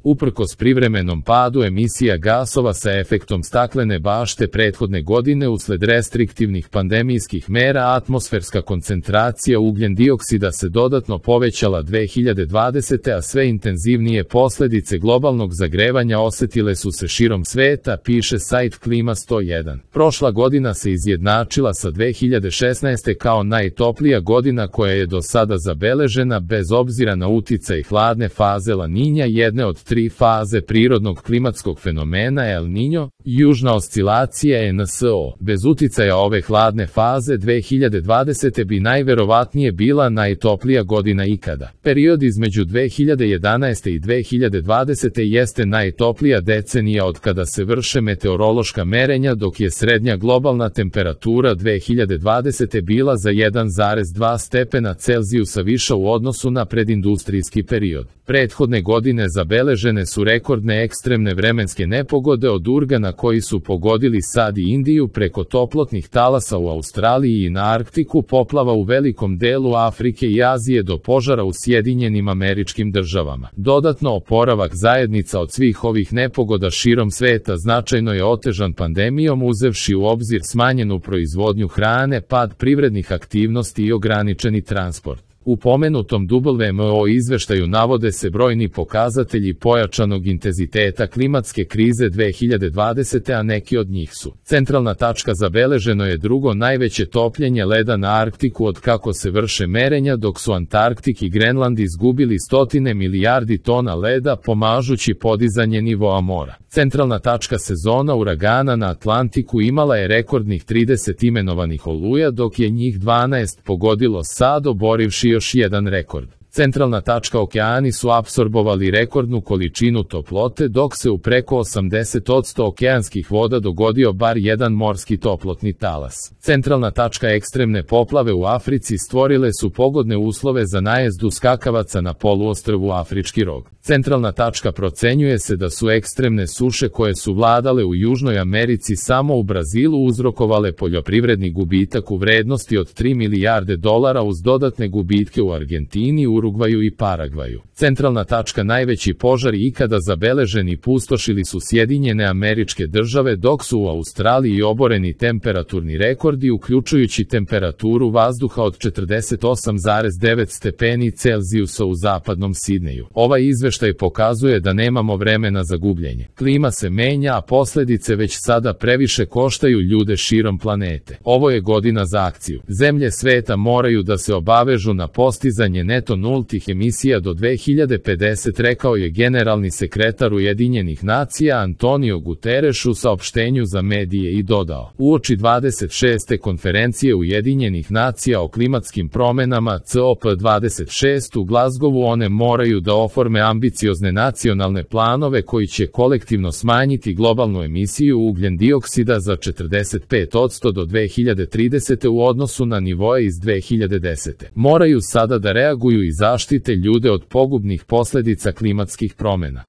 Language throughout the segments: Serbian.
Uprkos privremenom padu emisija gasova sa efektom staklene bašte prethodne godine usled restriktivnih pandemijskih mera, atmosferska koncentracija ugljen dioksida se dodatno povećala 2020. a sve intenzivnije posledice globalnog zagrevanja osetile su se širom sveta, piše sajt Klima 101. Prošla godina se izjednačila sa 2016. kao najtoplija godina koja je do sada zabeležena bez obzira na uticaj hladne faze La Niña, jedne od 3 faze prirodnog klimatskog fenomena El Niño, južna oscilacija NSO. Bez uticaja ove hladne faze 2020. bi najverovatnije bila najtoplija godina ikada. Period između 2011. i 2020. jeste najtoplija decenija od kada se vrše meteorološka merenja, dok je srednja globalna temperatura 2020. bila za 1,2 stepena Celzijusa viša u odnosu na predindustrijski period. Prethodne godine zabeležene su rekordne ekstremne vremenske nepogode od uragana koji su pogodili SAD i Indiju preko toplotnih talasa u Australiji i na Arktiku, poplava u velikom delu Afrike i Azije do požara u Sjedinjenim Američkim Državama. Dodatno, oporavak zajednica od svih ovih nepogoda širom sveta značajno je otežan pandemijom, uzevši u obzir smanjenu proizvodnju hrane, pad privrednih aktivnosti i ograničeni transport. U pomenutom WMO izveštaju navode se brojni pokazatelji pojačanog intenziteta klimatske krize 2020. a neki od njih su: centralna tačka, zabeleženo je drugo najveće topljenje leda na Arktiku od kako se vrše merenja, dok su Antarktik i Grenland izgubili stotine milijardi tona leda, pomažući podizanje nivoa mora. Centralna tačka, sezona uragana na Atlantiku imala je rekordnih 30 imenovanih oluja, dok je njih 12 pogodilo SAD, oborivši još jedan rekord. Centralna tačka, okeani su apsorbovali rekordnu količinu toplote, dok se u preko 80% okeanskih voda dogodio bar jedan morski toplotni talas. Centralna tačka, ekstremne poplave u Africi stvorile su pogodne uslove za najezdu skakavaca na poluostrvu Afrički rog. Centralna tačka, procenjuje se da su ekstremne suše koje su vladale u Južnoj Americi samo u Brazilu uzrokovale poljoprivredni gubitak u vrednosti od 3 milijarde dolara uz dodatne gubitke u Argentini, Urugvaju i Paragvaju. Centralna tačka, najveći požari ikada zabeleženi pustošili su Sjedinjene Američke Države, dok su u Australiji oboreni temperaturni rekordi, uključujući temperaturu vazduha od 48,9 stepeni Celzijusa u zapadnom Sidneju. Ovaj izveštaj pokazuje da nemamo vremena za gubljenje. Klima se menja, a posledice već sada previše koštaju ljude širom planete. Ovo je godina za akciju. Zemlje sveta moraju da se obavežu na postizanje neto nultih emisija do 2050, rekao je generalni sekretar Ujedinjenih nacija Antonio Guterres u saopštenju za medije i dodao: uoči 26. konferencije Ujedinjenih nacija o klimatskim promenama COP26 u Glazgovu, one moraju da oforme ambiciozne nacionalne planove koji će kolektivno smanjiti globalnu emisiju ugljen dioksida za 45% do 2030. u odnosu na nivoe iz 2010. Moraju sada da reaguju i zaštite ljude od pogubnih posledica klimatskih promena.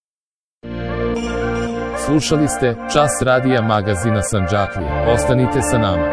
Slušali ste Čas radija magazina Sandžaklija. Ostanite sa nama.